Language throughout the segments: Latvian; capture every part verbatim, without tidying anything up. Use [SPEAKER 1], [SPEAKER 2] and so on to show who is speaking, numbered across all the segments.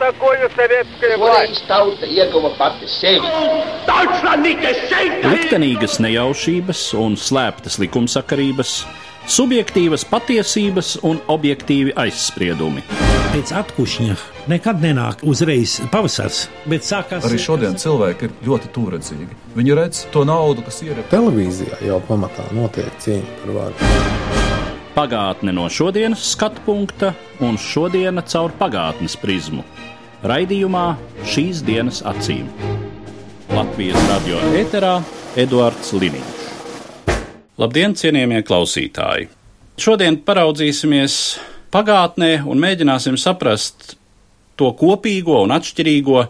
[SPEAKER 1] такое советская власть?
[SPEAKER 2] Liktenīgas nejaušības un slēptas likumsakarības, subjektīvas patiesības un objektīvi aizspriedumi.
[SPEAKER 3] Pēc atkušņa nekad nenāk uzreiz pavasars, bet sākās...
[SPEAKER 4] Arī šodien cilvēki ir ļoti tūredzīgi. Viņi redz to naudu, kas ir...
[SPEAKER 5] Televīzijā jau pamatā notiek cīņa par varu.
[SPEAKER 2] Pagātne no šodienas skatu punkta un šodiena caur pagātnes prizmu. Raidījumā Šīs dienas acīm. Latvijas radio ēterā Eduards Liniņš. Labdien, cienījamie klausītāji! Šodien paraudzīsimies pagātnē un mēģināsim saprast to kopīgo un atšķirīgo,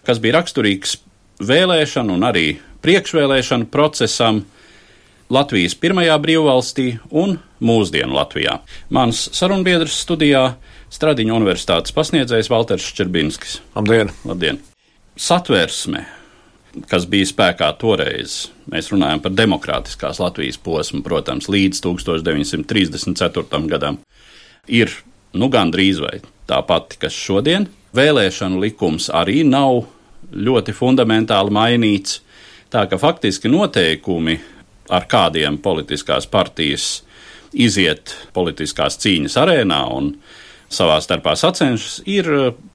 [SPEAKER 2] kas bija raksturīgs vēlēšanu un arī priekšvēlēšanu procesam Latvijas pirmajā brīvvalstī un mūsdienu Latvijā. Mans sarunbiedrs studijā Stradiņu universitātes pasniedzējs Valters Ščerbinskis.
[SPEAKER 6] Labdien!
[SPEAKER 2] Labdien! Satversme, kas bija spēkā toreiz, mēs runājam par demokrātiskās Latvijas posmu, protams, līdz tūkstoš deviņsimt trīsdesmit ceturtajam gadam, ir nu gandrīz vai tā pati, kas šodien. Vēlēšanu likums arī nav ļoti fundamentāli mainīts, tā ka faktiski noteikumi, ar kādiem politiskās partijas iziet politiskās cīņas arēnā un savā starpā sacenšas, ir,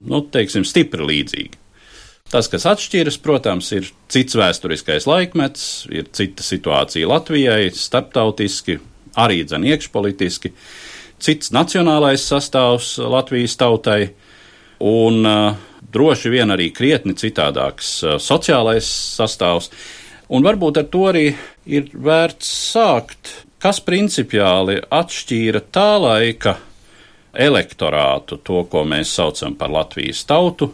[SPEAKER 2] nu, teiksim, stipri līdzīgi. Tas, kas atšķiras, protams, ir cits vēsturiskais laikmets, ir cita situācija Latvijai, starptautiski, arī dzen iekšpolitiski, cits nacionālais sastāvs Latvijas tautai un uh, droši vien arī krietni citādāks uh, sociālais sastāvs. Un varbūt ar to arī ir vērts sākt, kas principiāli atšķīra tā laika elektorātu, to, ko mēs saucam par Latvijas tautu,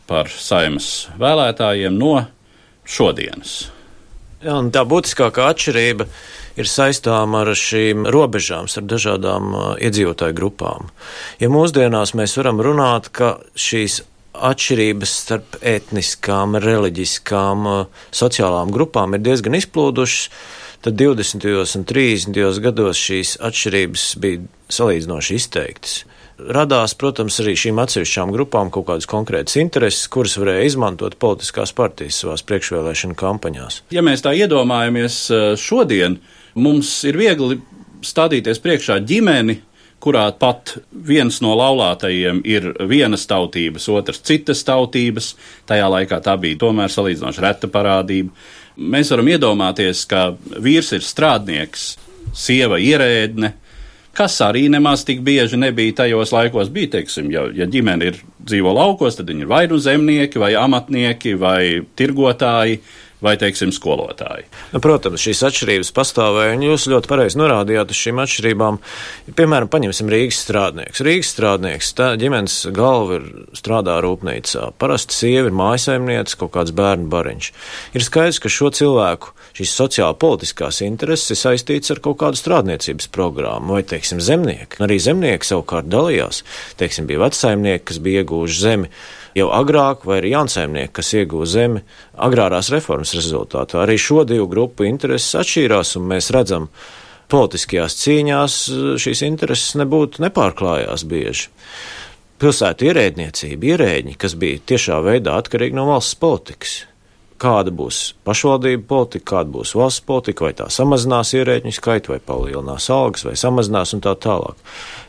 [SPEAKER 2] par Saeimas vēlētājiem no šodienas.
[SPEAKER 6] Jā, un tā būtiskākā atšķirība ir saistām ar šīm robežām, ar dažādām uh, iedzīvotāju grupām. Ja mūsdienās mēs varam runāt, ka šīs atšķirības starp etniskām, reliģiskām, sociālām grupām ir diezgan izplūdušas, tad divdesmitajos un trīsdesmitajos gados šīs atšķirības bija salīdzinoši izteiktas. Radās, protams, arī šīm atsevišķām grupām kaut kādas konkrētas intereses, kuras varēja izmantot politiskās partijas savās priekšvēlēšana kampaņās.
[SPEAKER 2] Ja mēs tā iedomājamies šodien, mums ir viegli stādīties priekšā ģimeni, kurā pat viens no laulātajiem ir vienas tautības, otrs citas tautības. Tajā laikā tā bija tomēr salīdzinoši reta parādība. Mēs varam iedomāties, ka vīrs ir strādnieks, sieva ierēdne, kas arī nemaz tik bieži nebija tajos laikos. Bija, teiksim, ja, ja ģimene ir dzīvo laukos, tad viņi ir vai nu zemnieki, vai amatnieki, vai tirgotāji, vai, teiksim, skolotāji.
[SPEAKER 6] Nu, protams, šīs atšķirības pastāvēja, un jūs ļoti pareizi norādījāt uz šīm atšķirībām. Piemēram, paņemsim Rīgas strādnieks. Rīgas strādnieks, tā ģimenes galva ir strādā rūpnīcā. Parasti sieva ir mājasaimniece, kaut kāds bērnu bariņš. Ir skaidrs, ka šo cilvēku šīs sociāli politiskās intereses ir saistīts ar kaut kādu strādniecības programmu, vai, teiksim, zemnieki. Arī zemnieki savukārt dalījās. Teiksim, bija vecsaimnieki, kas bija iegūši zemi jau agrāk, vai arī jaunsaimnieki, kas iegūja zemi agrārās reformas rezultātā. Arī šo divu grupu intereses atšķīrās, un mēs redzam, politiskajās cīņās šīs intereses nebūtu nepārklājās bieži. Pilsētu ierēdniecība, ierēģi, kas bija tiešā veidā atkarīgi no valsts politikas. Kāda būs pašvaldība politika, kāda būs valsts politika, vai tā samazinās ierēģņu skaitu, vai palielinās algas, vai samazinās un tā tālāk.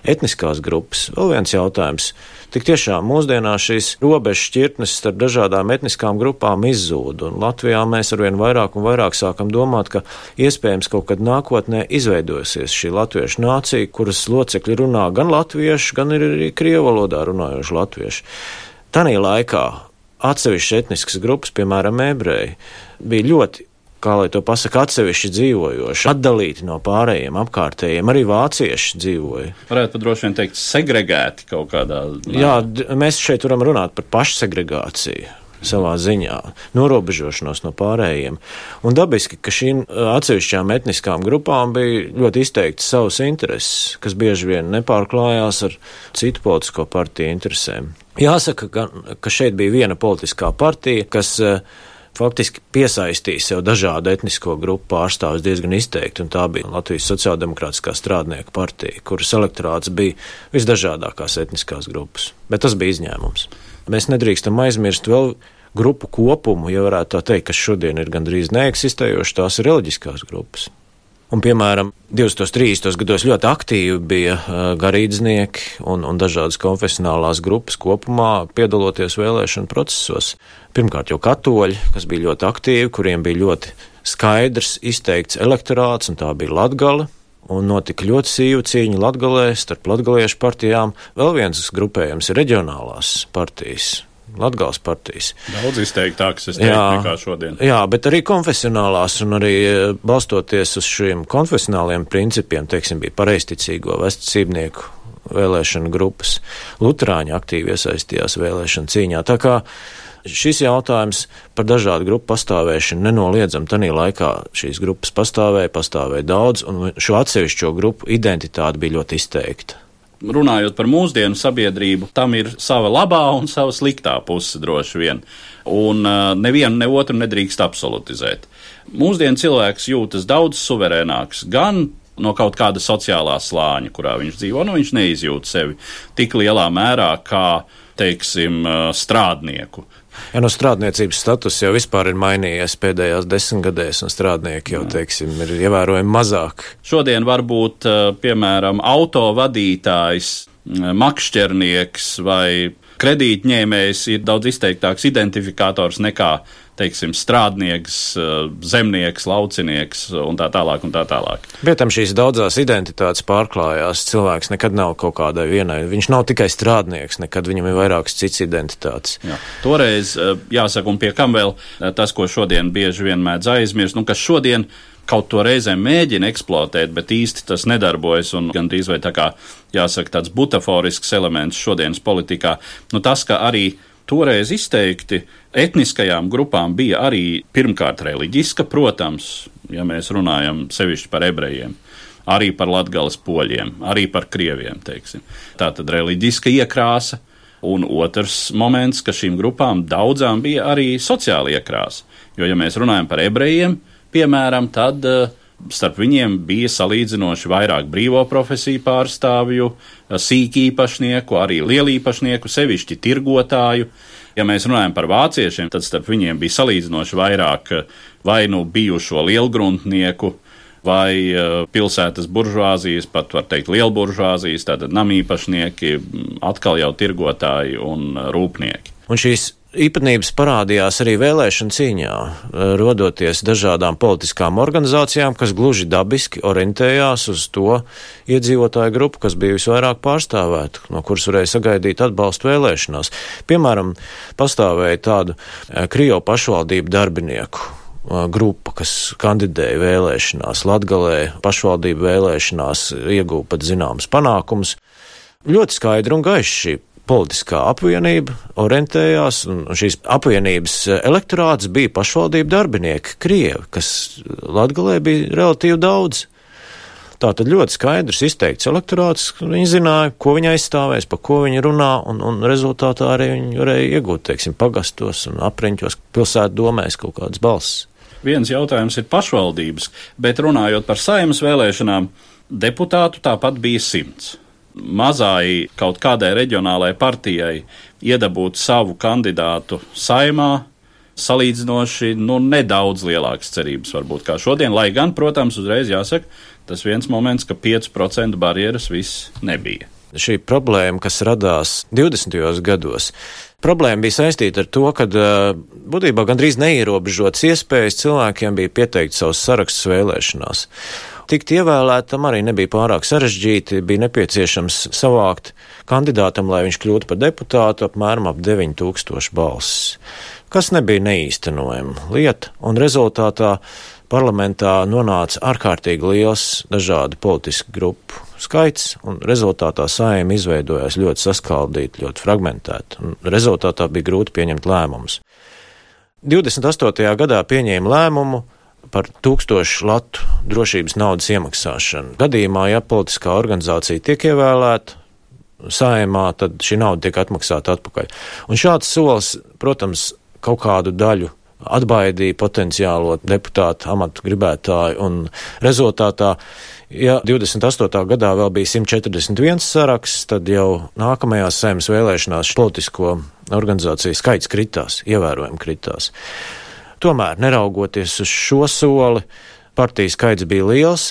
[SPEAKER 6] Etniskās grupas, vēl viens jautājums. Tik tiešām mūsdienās šīs robežas šķirtnes starp dažādām etniskām grupām izzūd, un Latvijā mēs arvien vairāk un vairāk sākam domāt, ka iespējams kaut kad nākotnē izveidosies šī latviešu nācija, kuras locekļi runā gan latviešu, gan arī krievu valodā runājoši latvieši. Tanī laikā atsevišķas etniskas grupas, piemēram, ebreji, bija ļoti, kā lai to pasaka, atsevišķi dzīvojoši, atdalīti no pārējiem apkārtējiem, arī vācieši dzīvoja.
[SPEAKER 2] Varētu pat droši vien teikt segregēti kaut kādā.
[SPEAKER 6] Jā, mēs šeit varam runāt par pašsegregāciju savā ziņā, norobežošanos no pārējiem. Un dabiski, ka šīm atsevišķām etniskām grupām bija ļoti izteikti savas intereses, kas bieži vien nepārklājās ar citu politisko partiju interesēm. Jāsaka, ka, ka šeit bija viena politiskā partija, kas faktiski piesaistīja sev dažādu etnisko grupu pārstāvus diezgan izteikti, un tā bija Latvijas sociāldemokrātiskā strādnieku partija, kuras elektorāts bija visdažādākās etniskās grupas, bet tas bija izņēmums. mēs nedrīkstam aizmirst vēl grupu kopumu, ja varētu tā teikt, kas šodien ir gandrīz neeksistējoši, tās ir reliģiskās grupas. Un, piemēram, divdesmitos trīsdesmitos gados ļoti aktīvi bija uh, garīdznieki un, un dažādas konfesionālās grupas kopumā piedaloties vēlēšanu procesos. Pirmkārt jau katoļi, kas bija ļoti aktīvi, kuriem bija ļoti skaidrs izteikts elektorāts, un tā bija Latgale, un notika ļoti sīva cīņa Latgalē starp latgaliešu partijām. Vēl viens grupējums ir reģionālās partijas. Latgales partijas.
[SPEAKER 2] Daudz izteiktāks, es teiktu, nekā šodien.
[SPEAKER 6] Jā, bet arī konfesionālās un arī balstoties uz šiem konfesionāliem principiem, teiksim, bija pareizticīgo vesticībnieku vēlēšanu grupas. Luterāņi aktīvi iesaistījās vēlēšanu cīņā. Tā kā šis jautājums par dažādu grupu pastāvēšanu nenoliedzam, tanī laikā šīs grupas pastāvēja, pastāvēja daudz, un šo atsevišķo grupu identitāte bija ļoti izteikta.
[SPEAKER 2] Runājot par mūsdienu sabiedrību, tam ir sava labā un sava sliktā puse droši vien, un uh, nevienu ne otru nedrīkst absolutizēt. Mūsdienu cilvēks jūtas daudz suverēnāks, gan no kaut kāda sociālā slāņa, kurā viņš dzīvo, nu viņš neizjūt sevi tik lielā mērā kā, teiksim, uh, strādnieku.
[SPEAKER 6] Ja no strādniecības status jau vispār ir mainījies pēdējās desmitgadēs, un strādnieki jau, teiksim, ir ievērojami mazāk.
[SPEAKER 2] Šodien varbūt, piemēram, autovadītājs, makšķernieks vai kredītņēmējs ir daudz izteiktāks identifikators nekā, teiksim, strādnieks, zemnieks, laucinieks un tā tālāk un tā tālāk.
[SPEAKER 6] Bet tam šīs daudzās identitātes pārklājās. Cilvēks nekad nav kaut kādai vienai. Viņš nav tikai strādnieks, nekad viņam ir vairākas cits identitātes.
[SPEAKER 2] Jā. Toreiz, jāsaka, un pie kam vēl tas, ko šodien bieži vien mēdz aizmirst, nu, kas šodien kaut to reizēm mēģina eksploatēt, bet īsti tas nedarbojas un gandrīz vai tā kā, jāsaka, tāds butaforisks elements šodienas politikā. Nu, tas, ka arī toreiz izteikti etniskajām grupām bija arī pirmkārt reliģiska, protams, ja mēs runājam sevišķi par ebrejiem, arī par latgales poļiem, arī par krieviem, teiksim. Tātad reliģiska iekrāsa, un otrs moments, ka šīm grupām daudzām bija arī sociāla iekrāsa, jo ja mēs runājam par ebrejiem, piemēram, tad starp viņiem bija salīdzinoši vairāk brīvo profesiju pārstāvju, sīkīpašnieku, arī lielīpašnieku, sevišķi tirgotāju. Ja mēs runājam par vāciešiem, tad starp viņiem bija salīdzinoši vairāk vai nu bijušo lielgruntnieku, vai pilsētas buržuāzijas, pat var teikt lielburžuāzijas, tātad namīpašnieki, atkal jau tirgotāji un rūpnieki.
[SPEAKER 6] Un šīs īpatnības parādījās arī vēlēšana cīņā, rodoties dažādām politiskām organizācijām, kas gluži dabiski orientējās uz to iedzīvotāju grupu, kas bija visvairāk pārstāvēta, no kuras varēja sagaidīt atbalstu vēlēšanās. Piemēram, pastāvēja tādu Krievu pašvaldību darbinieku grupa, kas kandidēja vēlēšanās Latgalē, pašvaldību vēlēšanās ieguva pat zināmas panākumus. Ļoti skaidri un gaiši šī politiskā apvienība orientējās, un šīs apvienības elektorāts bija pašvaldību darbinieki, krievi, kas Latgalē bija relatīvi daudz. Tātad ļoti skaidrs izteikts elektorāts, viņi zināja, ko viņi aizstāvēs, pa ko viņi runā, un, un rezultātā arī viņi varēja iegūt, teiksim, pagastos un apriņķos, pilsētu domēs kaut kādas balsis.
[SPEAKER 2] Viens jautājums ir pašvaldības, bet runājot par Saeimas vēlēšanām, deputātu tāpat bija simts. Mazai kaut kādai reģionālai partijai iedabūt savu kandidātu Saeimā salīdzinoši, nu, nedaudz lielākas cerības varbūt kā šodien, lai gan, protams, uzreiz jāsaka, tas viens moments, ka pieci procenti barjeras viss nebija.
[SPEAKER 6] Šī problēma, kas radās divdesmitajos gados, problēma bija saistīta ar to, ka būtībā gandrīz neierobežotas iespējas cilvēkiem bija pieteikt savus sarakstus vēlēšanās. Tikt ievēlētam arī nebija pārāk sarežģīti, bija nepieciešams savākt kandidātam, lai viņš kļūtu par deputātu, apmēram ap deviņi tūkstoši balsis, kas nebija neīstenojama lieta, un rezultātā parlamentā nonāca ārkārtīgi liels dažādu politisku grupu skaits, un rezultātā Saeima izveidojās ļoti saskaldīta, ļoti fragmentēta, un rezultātā bija grūti pieņemt lēmumus. divdesmit astotajā gadā pieņēma lēmumu par tūkstošu latu drošības naudas iemaksāšanu. Gadījumā, ja politiskā organizācija tiek ievēlēta Saeimā, tad šī nauda tiek atmaksāta atpakaļ. Un šāds solis, protams, kaut kādu daļu atbaidīja potenciālo deputātu amatu gribētāju, un rezultātā, ja divdesmit astotā gadā vēl bija simt četrdesmit viens saraksts, tad jau nākamajās Saeimas vēlēšanās politisko organizāciju skaits kritās, ievērojami kritās. Tomēr, neraugoties uz šo soli, partiju skaits bija liels,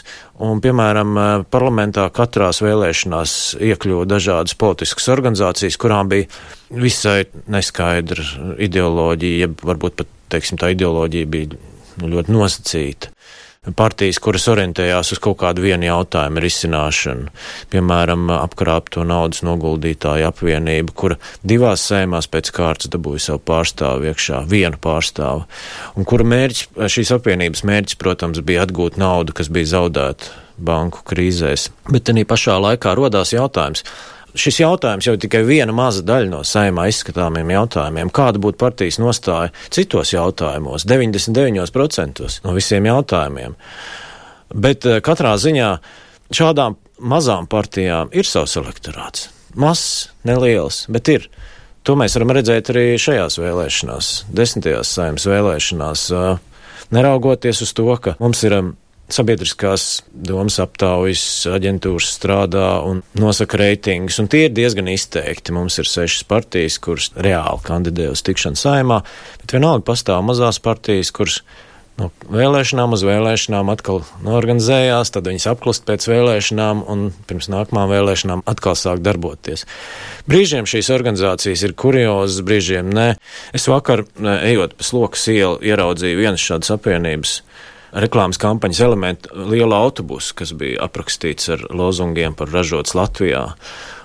[SPEAKER 6] un, piemēram, parlamentā katrās vēlēšanās iekļuva dažādas politiskas organizācijas, kurām bija visai neskaidra ideoloģija, ja varbūt pat, teiksim, tā ideoloģija bija ļoti nosacīta. Partijas, kuras orientējās uz kaut kādu vienu jautājumu risināšanu, piemēram, apkrāpto naudas noguldītāju apvienību, kura divās Saeimās pēc kārtas dabūja savu pārstāvu iekšā, vienu pārstāvu, un kura mērķis, šīs apvienības mērķis, protams, bija atgūt naudu, kas bija zaudēta banku krīzēs. Bet tenī pašā laikā rodās jautājums. Šis jautājums jau tikai viena maza daļa no Saeimā izskatāmiem jautājumiem. Kāda būtu partijas nostāja citos jautājumos, deviņdesmit deviņos procentos no visiem jautājumiem? Bet katrā ziņā šādām mazām partijām ir savs elektorāts. Mazs, neliels, bet ir. To mēs varam redzēt arī šajās vēlēšanās, desmitajās Saeimas vēlēšanās, neraugoties uz to, ka mums ir sabiedriskās domas aptaujas aģentūras strādā un nosaka reitingus, un tie ir diezgan izteikti. Mums ir sešas partijas, kuras reāli kandidē uz tikšanu Saeimā, bet vienalga pastāv mazās partijas, kuras no vēlēšanām uz vēlēšanām atkal norganizējās, tad viņas apklust pēc vēlēšanām un pirms nākamām vēlēšanām atkal sāk darboties. Brīžiem šīs organizācijas ir kuriozas, brīžiem nē. Es vakar, ejot pa Slokas ielu, ieraudzīju vienas šādas apvienības reklāmas kampaņas elementu lielu autobusu, kas bija aprakstīts ar lozungiem par ražots Latvijā.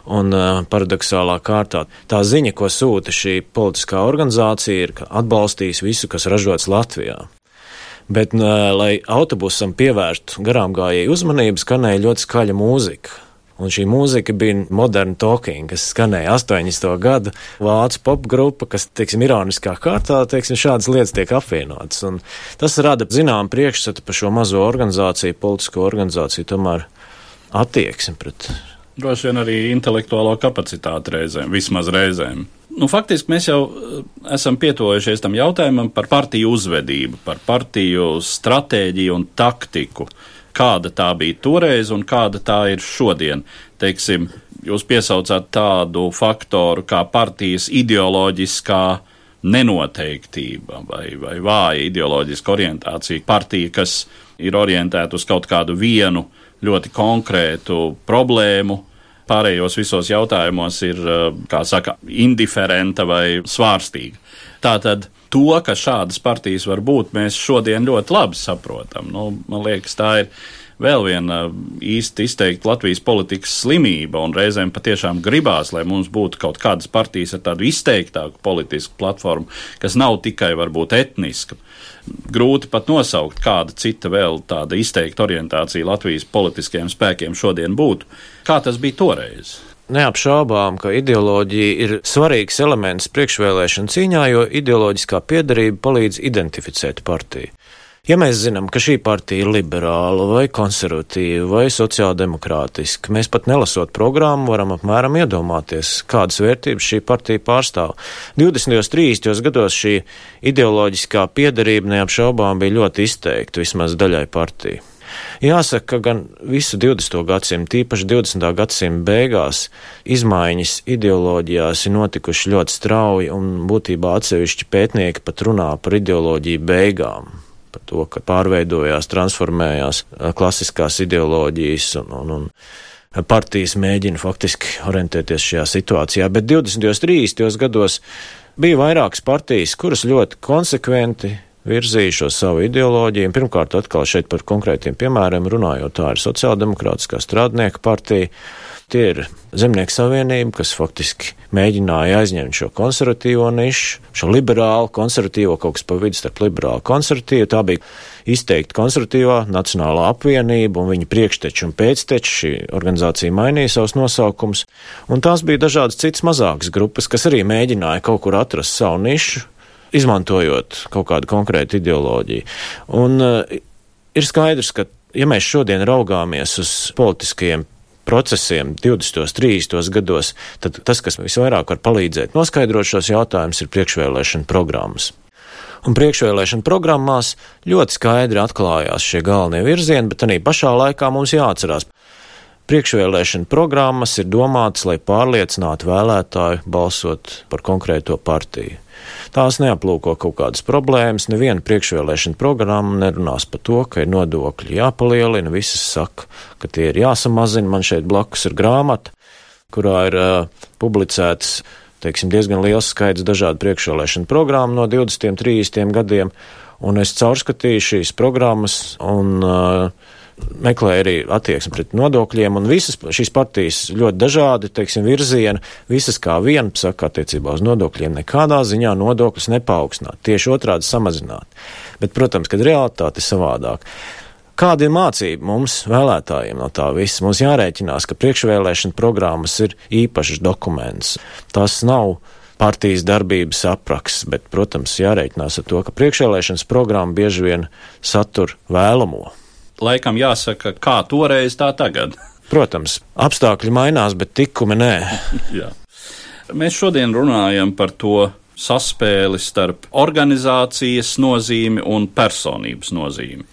[SPEAKER 6] Un uh, paradoxālā kārtā tā ziņa, ko sūta šī politiskā organizācija, ir, ka atbalstīs visu, kas ražots Latvijā. Bet, uh, lai autobusam pievērstu garām gājēju uzmanību, skanēja ļoti skaļa mūzika. Un šī mūzika bija Modern Talking, kas skanēja astoņdesmito gadu vācu popgrupa, kas, teiksim, ironiskā kārtā, teiksim, šādas lietas tiek apvienotas. Un tas rada zinām priekšstatu par šo mazo organizāciju, politisko organizāciju, tomēr attieksmi pret.
[SPEAKER 2] Droši vien arī intelektuālo kapacitāti reizēm, vismaz reizēm. Nu, faktiski mēs jau esam pietuvojušies tam jautājumam par partiju uzvedību, par partiju stratēģiju un taktiku. Kāda tā bija toreiz un kāda tā ir šodien. Teiksim, jūs piesaucāt tādu faktoru kā partijas ideoloģiskā nenoteiktība vai, vai vāja ideoloģiska orientācija. Partija, kas ir orientēta uz kaut kādu vienu ļoti konkrētu problēmu, pārējos visos jautājumos ir, kā saka, indiferenta vai svārstīga. Tātad to, ka šādas partijas var būt, mēs šodien ļoti labi saprotam. Nu, man liekas, tā ir vēl viena īsti izteikta Latvijas politikas slimība, un reizēm patiešām gribās, lai mums būtu kaut kādas partijas ar tādu izteiktāku politisku platformu, kas nav tikai varbūt etniska. Grūti pat nosaukt, kāda cita vēl tāda izteikta orientācija Latvijas politiskajiem spēkiem šodien būtu. Kā tas bija toreiz?
[SPEAKER 6] Neapšaubām, ka ideoloģija ir svarīgs elements priekšvēlēšanu cīņā, jo ideoloģiskā piederība palīdz identificēt partiju. Ja mēs zinām, ka šī partija ir liberāla vai konservatīva vai sociāldemokrātiska, mēs pat nelasot programmu varam apmēram iedomāties, kādas vērtības šī partija pārstāv. divdesmitajos, trīsdesmitajos gados šī ideoloģiskā piederība neapšaubām bija ļoti izteikta vismaz daļai partiju. Jāsaka, ka gan visu divdesmito gadsimtu, tīpaši divdesmitā gadsimta beigās, izmaiņas ideoloģijās ir notikuši ļoti strauji, un būtībā atsevišķi pētnieki pat runā par ideoloģiju beigām, par to, ka pārveidojās, transformējās klasiskās ideoloģijas un, un, un partijas mēģina faktiski orientēties šajā situācijā, bet divdesmitajos, trīsdesmitajos gados bija vairākas partijas, kuras ļoti konsekventi virzījušo savu ideoloģiju. Pirmkārt, atkal šeit par konkrētiem piemēriem runājot, tā ir Sociāldemokrātiskā strādnieka partija. Tie ir Zemnieku savienība, kas faktiski mēģināja aizņemt šo konservatīvo nišu, šo liberālu, konservatīvo, kaut kas pa vidu starp liberālu konservatīvu. Tā bija izteikti konservatīvā Nacionālā apvienība, un viņa priekšteči un pēcteči, šī organizācija mainīja savus nosaukumus, un tās bija dažādas citas mazākas grupas, kas arī mēģināja kaut kur atrast savu nišu, izmantojot kaut kādu konkrētu ideoloģiju. Un uh, ir skaidrs, ka, ja mēs šodien raugāmies uz politiskajiem procesiem divdesmitajos, trīsdesmitajos gados, tad tas, kas visvairāk var palīdzēt noskaidrot šos jautājumus, ir priekšvēlēšana programmas. Un priekšvēlēšana programmās ļoti skaidri atklājās šie galvenie virzieni, bet arī pašā laikā mums jāatcerās. Priekšvēlēšana programmas ir domātas, lai pārliecinātu vēlētāju balsot par konkrēto partiju. Tās neaplūko kaut kādas problēmas, neviena priekšvēlēšana programma nerunās par to, ka ir nodokļi jāpalielina, visas saka, ka tie ir jāsamazina. Man šeit blakus ir grāmata, kurā ir uh, publicēts, teiksim, diezgan liels skaits dažādu priekšvēlēšanu programmu no divdesmitiem, trīsdesmitiem gadiem, un es caurskatīju šīs programmas un uh, meklēja arī attieksmi pret nodokļiem, un visas šīs partijas ļoti dažādi, teiksim, virzieni, visas kā viena saka attiecībā uz nodokļiem nekādā ziņā nodokļus nepaukstināt, tieši otrādi samazināt. Bet, protams, kad realitāte ir savādāk. Kāda ir mācība mums, vēlētājiem, no tā visa? Mums jārēķinās, ka priekšvēlēšana programmas ir īpašs dokuments. Tas nav partijas darbības apraksts, bet, protams, jārēķinās ar to, ka priekšvēlēšanas programma bieži vien satur vēlamo.
[SPEAKER 2] Laikam jāsaka, kā toreiz, tā tagad.
[SPEAKER 6] Protams, apstākļi mainās, bet tikumi nē.
[SPEAKER 2] Jā. Mēs šodien runājam par to saspēli starp organizācijas nozīmi un personības nozīmi.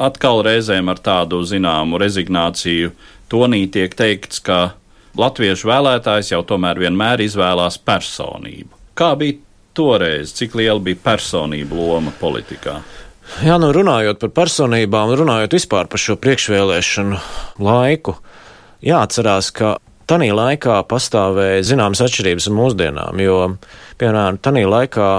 [SPEAKER 2] Atkal reizēm ar tādu zināmu rezignāciju tonī tiek teikts, ka latviešu vēlētājs jau tomēr vienmēr izvēlās personību. Kā bija toreiz, cik liela bija personība loma politikā?
[SPEAKER 6] Jā, nu runājot par personībām, runājot vispār par šo priekšvēlēšanu laiku, jāatcerās, ka tanī laikā pastāvēja zināmas atšķirības ar mūsdienām, jo, piemēram, tanī laikā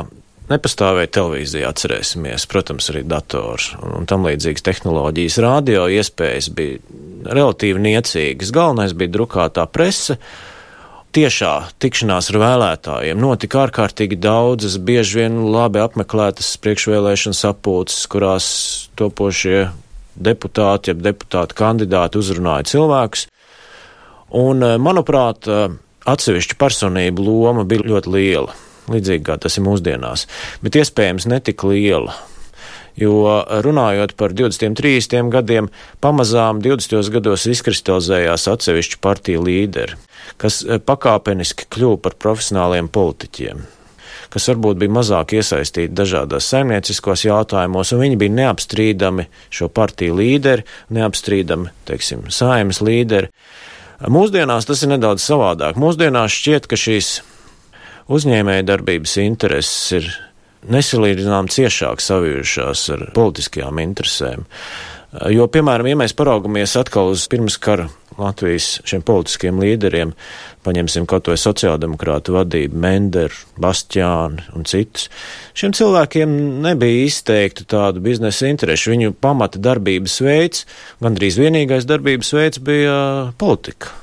[SPEAKER 6] nepastāvēja televīzija, atcerēsimies, protams, arī dators un, un tam līdzīgas tehnoloģijas. Radio iespējas bija relatīvi niecīgas, galvenais bija drukātā prese. Tiešā tikšanās ar vēlētājiem notika ārkārtīgi daudzas, bieži vien labi apmeklētas priekšvēlēšanas sapulces, kurās topošie deputāti, jeb deputāti kandidāti uzrunāja cilvēkus. Un, manuprāt, atsevišķu personību loma bija ļoti liela, līdzīgi kā tas ir mūsdienās, bet iespējams netik liela. Jo runājot par divdesmitiem, trīsdesmitiem gadiem, pamazām divdesmitajos gados izkristalizējās atsevišķu partiju līderi, kas pakāpeniski kļuva par profesionāliem politiķiem, kas varbūt bija mazāk iesaistīti dažādās saimnieciskos jautājumos, un viņi bija neapstrīdami šo partiju līderi, neapstrīdami, teiksim, saimnes līderi. Mūsdienās tas ir nedaudz savādāk. Mūsdienās šķiet, ka šīs uzņēmēja darbības intereses ir nesalīdzinām ciešāk savijušās ar politiskajām interesēm. Jo, piemēram, ja mēs paraugamies atkal uz pirmskara Latvijas šiem politiskiem līderiem, paņemsim kaut vai sociāldemokrātu vadību, Menderu, Bastiānu un citus, šiem cilvēkiem nebija izteikta tāda biznesa interešu. Viņu pamata darbības veids, gandrīz vienīgais darbības veids bija politika.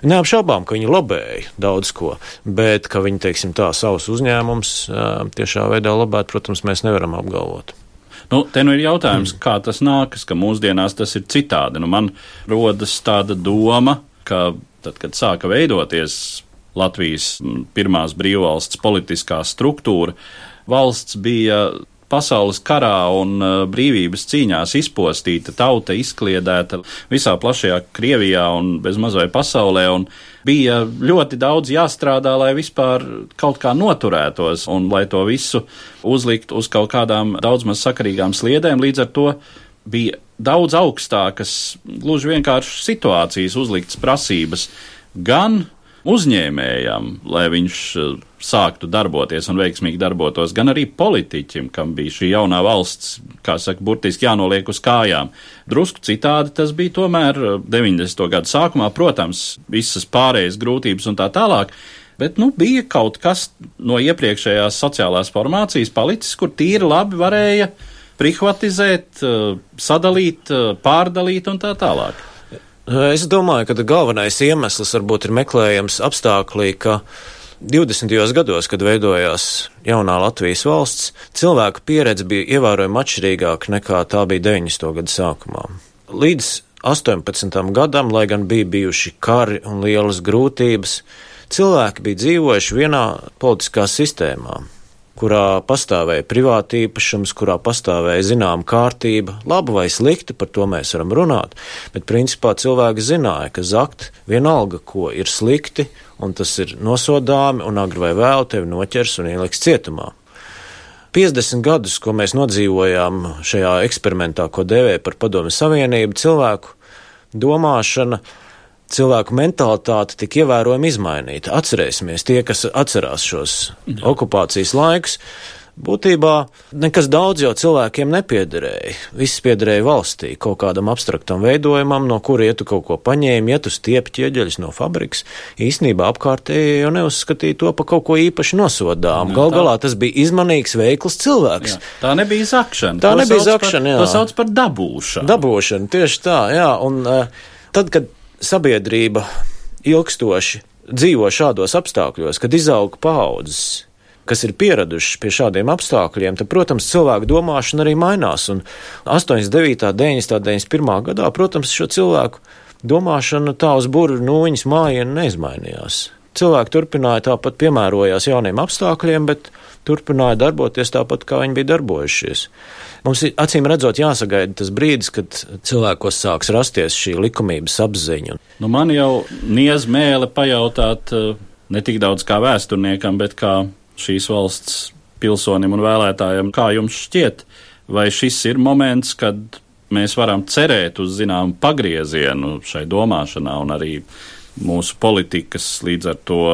[SPEAKER 6] Neapšaubām, ka viņi lobēja daudz ko, bet ka viņi, teiksim tā, savus uzņēmums tiešā veidā lobēt, protams, mēs nevaram apgalvot.
[SPEAKER 2] Nu, te nu ir jautājums, kā tas nākas, ka mūsdienās tas ir citādi. Nu, man rodas tāda doma, ka tad, kad sāka veidoties Latvijas pirmās brīvvalsts politiskā struktūra, valsts bija pasaules karā un brīvības cīņās izpostīta, tauta izkliedēta visā plašajā Krievijā un bez mazai pasaulē, un bija ļoti daudz jāstrādā, lai vispār kaut kā noturētos un lai to visu uzlikt uz kaut kādām daudz maz sakarīgām sliedēm. Līdz ar to bija daudz augstākas, gluži vienkārši situācijas uzliktas prasības gan uzņēmējam, lai viņš sāktu darboties un veiksmīgi darbotos, gan arī politiķim, kam bija šī jaunā valsts, kā saka, burtiski jānoliek uz kājām. Drusku citādi tas bija tomēr deviņdesmito gadu sākumā, protams, visas pārējas grūtības un tā tālāk, bet, nu, bija kaut kas no iepriekšējās sociālās formācijas palicis, kur tīri labi varēja privatizēt, sadalīt, pārdalīt un tā tālāk.
[SPEAKER 6] Es domāju, ka galvenais iemesls varbūt ir meklējams apstāklī, ka divdesmitajos gados, kad veidojās jaunā Latvijas valsts, cilvēku pieredze bija ievērojami atšķirīgāka nekā tā bija deviņdesmito gadu sākumā. Līdz astoņpadsmitam gadam, lai gan bija bijuši kari un lielas grūtības, cilvēki bija dzīvojuši vienā politiskā sistēmā, kurā pastāvēja privātīpašums, kurā pastāvēja zināma kārtība, laba vai slikta, par to mēs varam runāt, bet principā cilvēki zināja, ka zakt vienalga, ko ir slikti, un tas ir nosodāmi, un agri vai vēl tevi noķers un ieliks cietumā. piecdesmit gadus, ko mēs nodzīvojām šajā eksperimentā, ko dēvē par Padomju Savienību, cilvēku domāšana, cilvēku mentalitāte tik ievērojami izmainīta. Atcerēsimies, tie, kas atcerās šos okupācijas laikus, būtībā nekas daudz jau cilvēkiem nepiederēja. Viss piederēja valstī, kaut kādam abstraktam veidojumam, no kura ja tu kaut ko paņēmi, ja tu stiepi ķieģeļus no fabrikas, īstenībā apkārtēji jau neuzskatīja to pa kaut ko īpaši nosodām. Gal galā tas bija izmanīgs, veikls cilvēks.
[SPEAKER 2] Jā, tā nebija zakšana.
[SPEAKER 6] Tā
[SPEAKER 2] to
[SPEAKER 6] nebija zakšana, jā.
[SPEAKER 2] To sauc par dabūšanu.
[SPEAKER 6] Dabūšana, tieši tā, jā. Un uh, tad, kad sabiedrība ilgstoši dzīvo šādos apstākļos, kad izaug paaudzes, kas ir pieraduši pie šādiem apstākļiem, tad, protams, cilvēku domāšana arī mainās. Un astoņdesmit devītā, deviņdesmitā, deviņdesmit pirmā gadā, protams, šo cilvēku domāšana tā uz burvju nūjiņas mājienu neizmainījās. Cilvēki turpināja tāpat piemērojās jauniem apstākļiem, bet turpināja darboties tāpat, kā viņi bija darbojušies. Mums acīm redzot jāsagaida tas brīdis, kad cilvēkos sāks rasties šī likumības apziņa.
[SPEAKER 2] Nu, man jau niez mēle pajautāt ne tik daudz kā vēsturniekam, bet kā šīs valsts pilsonim un vēlētājiem, kā jums šķiet, vai šis ir moments, kad mēs varam cerēt uz zināmu pagriezienu šai domāšanā un arī mūsu politikas līdz ar to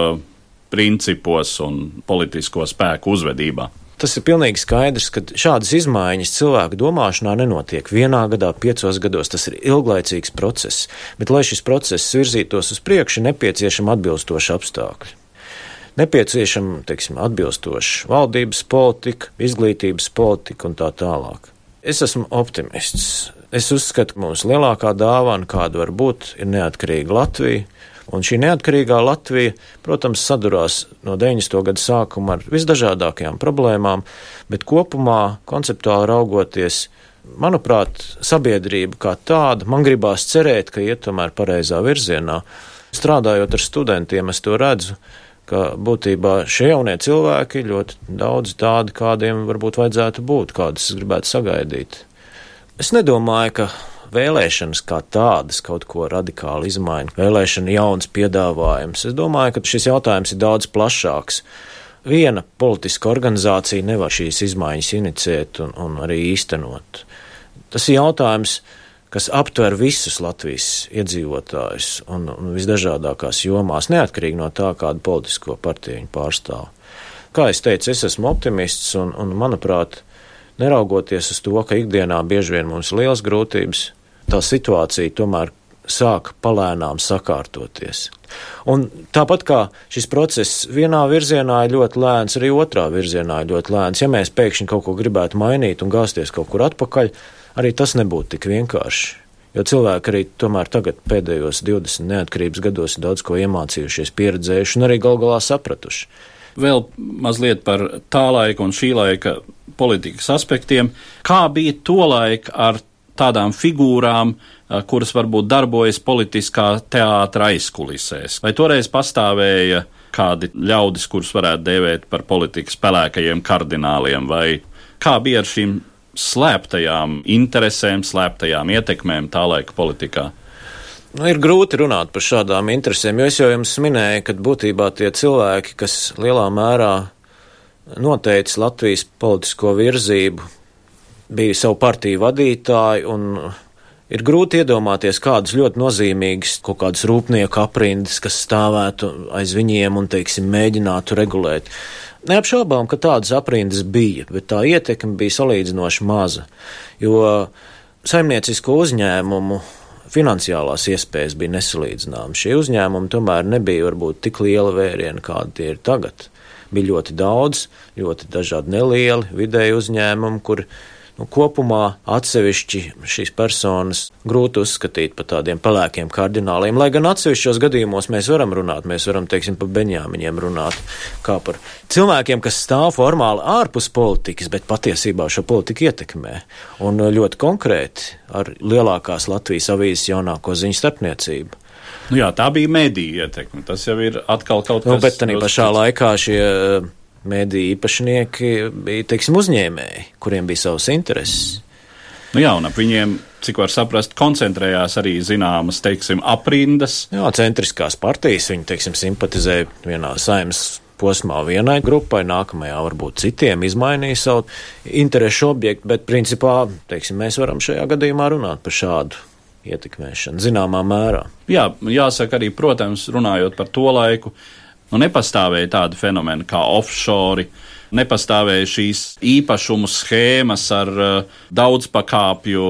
[SPEAKER 2] principos un politisko spēku uzvedībā?
[SPEAKER 6] Tas ir pilnīgi skaidrs, ka šādas izmaiņas cilvēku domāšanā nenotiek vienā gadā, piecos gados. Tas ir ilglaicīgs process, bet, lai šis process virzītos uz priekšu, ir nepieciešama atbilstoša apstākļi. Nepieciešama, teiksim, atbilstoša valdības politika, izglītības politika un tā tālāk. Es esmu optimists. Es uzskatu, ka mūsu lielākā dāvana, kāda var būt, ir neatkarīga Latvija. Un šī neatkarīgā Latvija, protams, sadurās no deviņdesmito gadu sākuma ar visdažādākajām problēmām, bet kopumā, konceptuāli raugoties, manuprāt, sabiedrība kā tāda, man gribās cerēt, ka iet tomēr pareizā virzienā. Strādājot ar studentiem, es to redzu, ka būtībā šie jaunie cilvēki ļoti daudz tādi, kādiem varbūt vajadzētu būt, kādus es gribētu sagaidīt. Es nedomāju, ka vēlēšanas kā tādas kaut ko radikāli izmaina, vēlēšana jauns piedāvājums. Es domāju, ka šis jautājums ir daudz plašāks. Viena politiska organizācija nevar šīs izmaiņas iniciēt un, un arī īstenot. Tas ir jautājums, kas aptver visus Latvijas iedzīvotājus un, un visdažādākās jomās, neatkarīgi no tā, kādu politisko partiju viņi pārstāv. Kā es teicu, es esmu optimists un, un manuprāt, neraugoties uz to, ka ikdienā bieži vien mums ir liels grūtības, tā situācija tomēr sāk palēnām sakārtoties. Un tāpat kā šis process vienā virzienā ir ļoti lēns, arī otrā virzienā ir ļoti lēns. Ja mēs pēkšņi kaut ko gribētu mainīt un gāzties kaut kur atpakaļ, arī tas nebūtu tik vienkārši. Jo cilvēki arī tomēr tagad pēdējos divdesmit neatkarības gados ir daudz ko iemācījušies, pieredzējuši un arī gal galā sapratuši.
[SPEAKER 2] Vēl mazliet par tā laika un šī laika politikas aspektiem. Kā bija tolaik ar tādām figūrām, kuras varbūt darbojas politiskā teātra aizkulisēs? Vai toreiz pastāvēja kādi ļaudis, kurus varētu dēvēt par politikas pelēkajiem kardināliem, vai kā bija ar šīm slēptajām interesēm, slēptajām ietekmēm tā laika politikā?
[SPEAKER 6] Nu, ir grūti runāt par šādām interesēm, jo es jau jums minēju, ka būtībā tie cilvēki, kas lielā mērā noteica Latvijas politisko virzību, bija savu partiju vadītāji, un ir grūti iedomāties kādus ļoti nozīmīgus kaut kādus rūpnieku aprindas, kas stāvētu aiz viņiem un, teiksim, mēģinātu regulēt. Neapšaubām, ka tādas aprindas bija, bet tā ietekme bija salīdzinoši maza, jo saimniecisko uzņēmumu finansiālās iespējas bija nesalīdzināmas. Šie uzņēmumi tomēr nebija varbūt tik liela vēriena, kādi tie ir tagad. Bija ļoti daudz, ļoti dažādi nelieli vidēji uzņēmumi, kur nu, kopumā atsevišķi šīs personas grūti uzskatīt par tādiem pelēkiem kardināliem, lai gan atsevišķos gadījumos mēs varam runāt, mēs varam, teiksim, par Beņāmiņiem runāt, kā par cilvēkiem, kas stāv formāli ārpus politikas, bet patiesībā šo politiku ietekmē. Un ļoti konkrēti ar lielākās Latvijas avīzes jaunāko ziņu starpniecību.
[SPEAKER 2] Nu jā, tā bija mediju ietekme, tas jau ir atkal kaut kas.
[SPEAKER 6] Nu, bet tanī pašā laikā šie mediju īpašnieki bija, teiksim, uzņēmēji, kuriem bija savas intereses.
[SPEAKER 2] Nu jā, un ap viņiem, cik var saprast, koncentrējās arī zināmas, teiksim, aprindas.
[SPEAKER 6] Jā, centriskās partijas, viņi, teiksim, simpatizēja vienā saimnes posmā vienai grupai, nākamajā varbūt citiem izmainīja savu interešu objektu, bet principā, teiksim, mēs varam šajā gadījumā runāt par šādu ietekmēšanu zināmā mērā.
[SPEAKER 2] Jā, jāsaka arī, protams, runājot par to laiku, nu nepastāvēja tādi fenomeni kā offshore, nepastāvēja šīs īpašumu schēmas ar uh, daudzpakāpju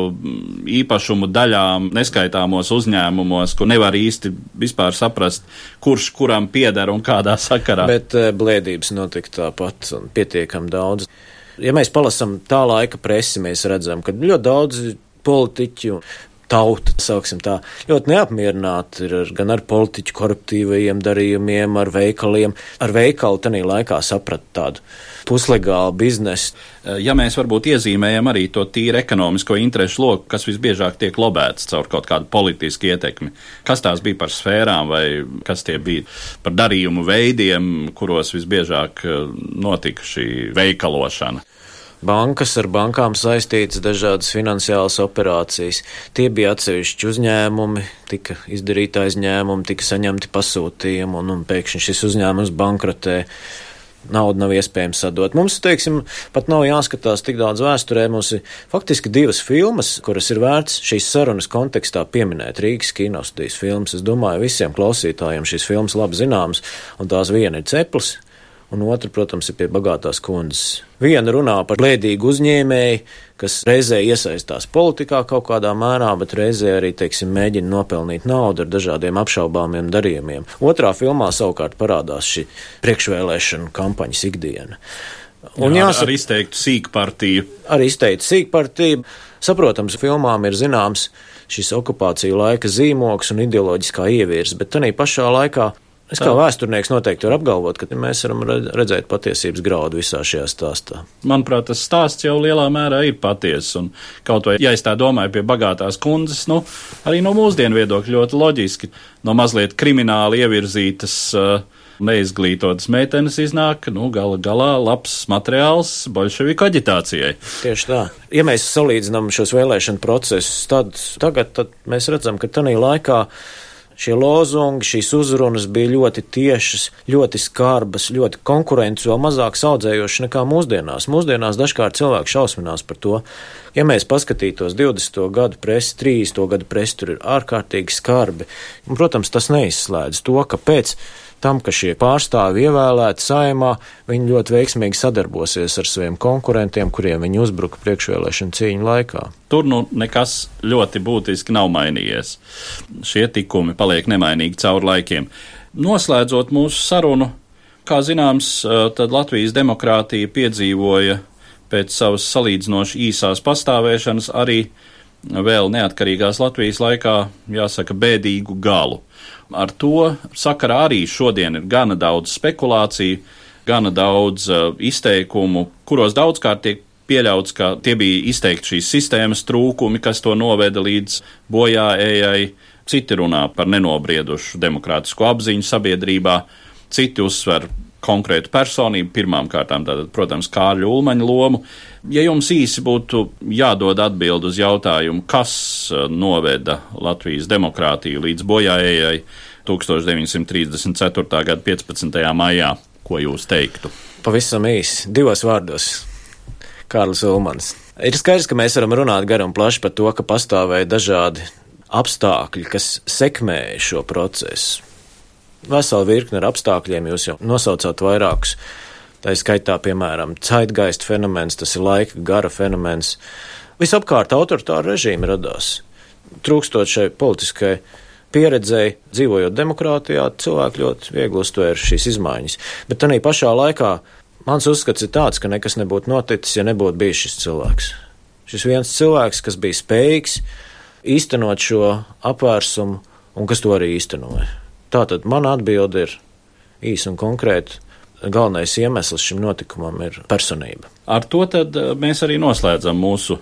[SPEAKER 2] īpašumu daļām neskaitāmos uzņēmumos, kur nevar īsti vispār saprast, kurš kuram pieder un kādā sakarā.
[SPEAKER 6] Bet uh, blēdības notika tāpat un pietiekam daudz. Ja mēs palasam tā laika presi, mēs redzam, ka ļoti daudz politiķu tauta, sauksim tā, ļoti neapmierināti ir ar, gan ar politiķu koruptīvajiem darījumiem, ar veikaliem. Ar veikalu tanī laikā saprat tādu puslegālu biznesu.
[SPEAKER 2] Ja mēs varbūt iezīmējam arī to tīri ekonomisko interešu loku, kas visbiežāk tiek lobēts caur kaut kādu politisku ietekmi, kas tās bija par sfērām vai kas tie bija par darījumu veidiem, kuros visbiežāk notika šī veikalošana?
[SPEAKER 6] Bankas ar bankām saistītas dažādas finansiālas operācijas. Tie bija atsevišķi uzņēmumi, tika izdarīti aizņēmumi, tika saņemti pasūtījumi, un, un pēkšņi šis uzņēmums bankrotē. Naudu nav iespējams sadot. Mums, teiksim, pat nav jāskatās tik daudz vēsturē. Mums ir faktiski divas filmas, kuras ir vērts šīs sarunas kontekstā pieminēt. Rīgas kinostudijas filmas. Es domāju, visiem klausītājiem šīs filmas labi zināmas, un tās viena ir Ceplis, un otra, protams, ir Pie bagātās kundzes. Viena runā par blēdīgu uzņēmēju, kas reizē iesaistās politikā kaut kādā mērā, bet reizē arī, teiksim, mēģina nopelnīt naudu ar dažādiem apšaubāmiem darījumiem. Otrā filmā savukārt parādās šī priekšvēlēšana kampaņas ikdiena. Un
[SPEAKER 2] Jā,
[SPEAKER 6] jāsaka,
[SPEAKER 2] ar izteiktu sīkpartiju.
[SPEAKER 6] Ar izteiktu sīkpartiju. Saprotams, filmām ir zināms šis okupāciju laika zīmogs un ideoloģiskā ievirze, bet tanī pašā laikā es kā vēsturnieks noteikti varu apgalvot, ka mēs varam redzēt patiesības graudu visā šajā stāstā.
[SPEAKER 2] Manuprāt, tas stāsts jau lielā mērā ir patiess, un kaut vai, ja es tā domāju Pie bagātās kundzes, nu, arī no mūsdienu viedokļa ļoti loģiski, no mazliet krimināli ievirzītas, neizglītotas meitenes iznāk, nu, gala galā labs materiāls boļševiku aģitācijai.
[SPEAKER 6] Tieši tā. Ja mēs salīdzinām šos vēlēšanu procesus, tad tagad tad mēs redzam, ka tanī laikā šie lozungi, šīs uzrunas bija ļoti tiešas, ļoti skarbas, ļoti konkurences, vēl mazāk saudzējošas nekā mūsdienās. Mūsdienās dažkārt cilvēki šausminās par to. Ja mēs paskatītos divdesmito gadu presi, trīsdesmito gadu presi, tur ir ārkārtīgi skarbi. Un, protams, tas neizslēdz to, ka pēc tam, ka šie pārstāvi ievēlēti Saeimā, viņi ļoti veiksmīgi sadarbosies ar saviem konkurentiem, kuriem viņi uzbruka priekšvēlēšanu cīņu laikā.
[SPEAKER 2] Tur nu nekas ļoti būtiski nav mainījies. Šie tikumi paliek nemainīgi cauri laikiem. Noslēdzot mūsu sarunu, kā zināms, tad Latvijas demokrātija piedzīvoja pēc savas salīdzinoši īsās pastāvēšanas arī vēl neatkarīgās Latvijas laikā, jāsaka, bēdīgu galu. Ar to sakarā arī šodien ir gana daudz spekulāciju, gana daudz uh, izteikumu, kuros daudzkārt tiek pieļauts, ka tie bija izteikti šīs sistēmas trūkumi, kas to noveda līdz bojāējai. Citi runā par nenobriedušu demokrātisku apziņu sabiedrībā, citi uzsver konkrētu personību, pirmām kārtām tātad, protams, Kārļa Ulmaņa lomu. Ja jums īsi būtu jādod atbild uz jautājumu, kas noveda Latvijas demokrātiju līdz bojāējai tūkstoš deviņsimt trīsdesmit ceturtā gada piecpadsmitajā maijā, ko jūs teiktu?
[SPEAKER 6] Pavisam īsi, divos vārdos. Kārlis Ulmans. Ir skaidrs, ka mēs varam runāt gar un plaši par to, ka pastāvēja dažādi apstākļi, kas sekmēja šo procesu. Vesela virkne ar apstākļiem, jūs jau nosaucāt vairākus. Tā ir skaitā, piemēram, zeitgeist fenomens, tas ir laika gara fenomens. Visapkārt autoritāra režīma radās. Trūkstot šai politiskai pieredzēji, dzīvojot demokrātijā, cilvēki ļoti viegli uztvēra šīs izmaiņas. Bet tanī pašā laikā mans uzskats ir tāds, ka nekas nebūtu noticis, ja nebūtu bijis šis cilvēks. Šis viens cilvēks, kas bija spējīgs īstenot šo apvērsumu un kas to arī īstenoja. Tātad mana atbilde ir īsa un konkrēta. Galvenais iemesls šim notikumam ir personība.
[SPEAKER 2] Ar to tad mēs arī noslēdzam mūsu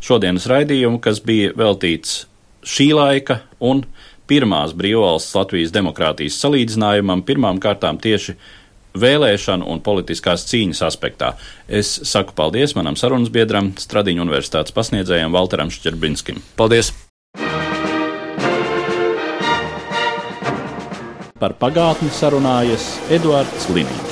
[SPEAKER 2] šodienas raidījumu, kas bija veltīts šī laika un pirmās brīvvalsts Latvijas demokrātijas salīdzinājumam, pirmām kārtām tieši vēlēšanu un politiskās cīņas aspektā. Es saku paldies manam sarunas biedram, Stradiņu universitātes pasniedzējam Valteram Šķerbinskim.
[SPEAKER 6] Paldies!
[SPEAKER 2] Par pagātni sarunājas Eduards Liniņš.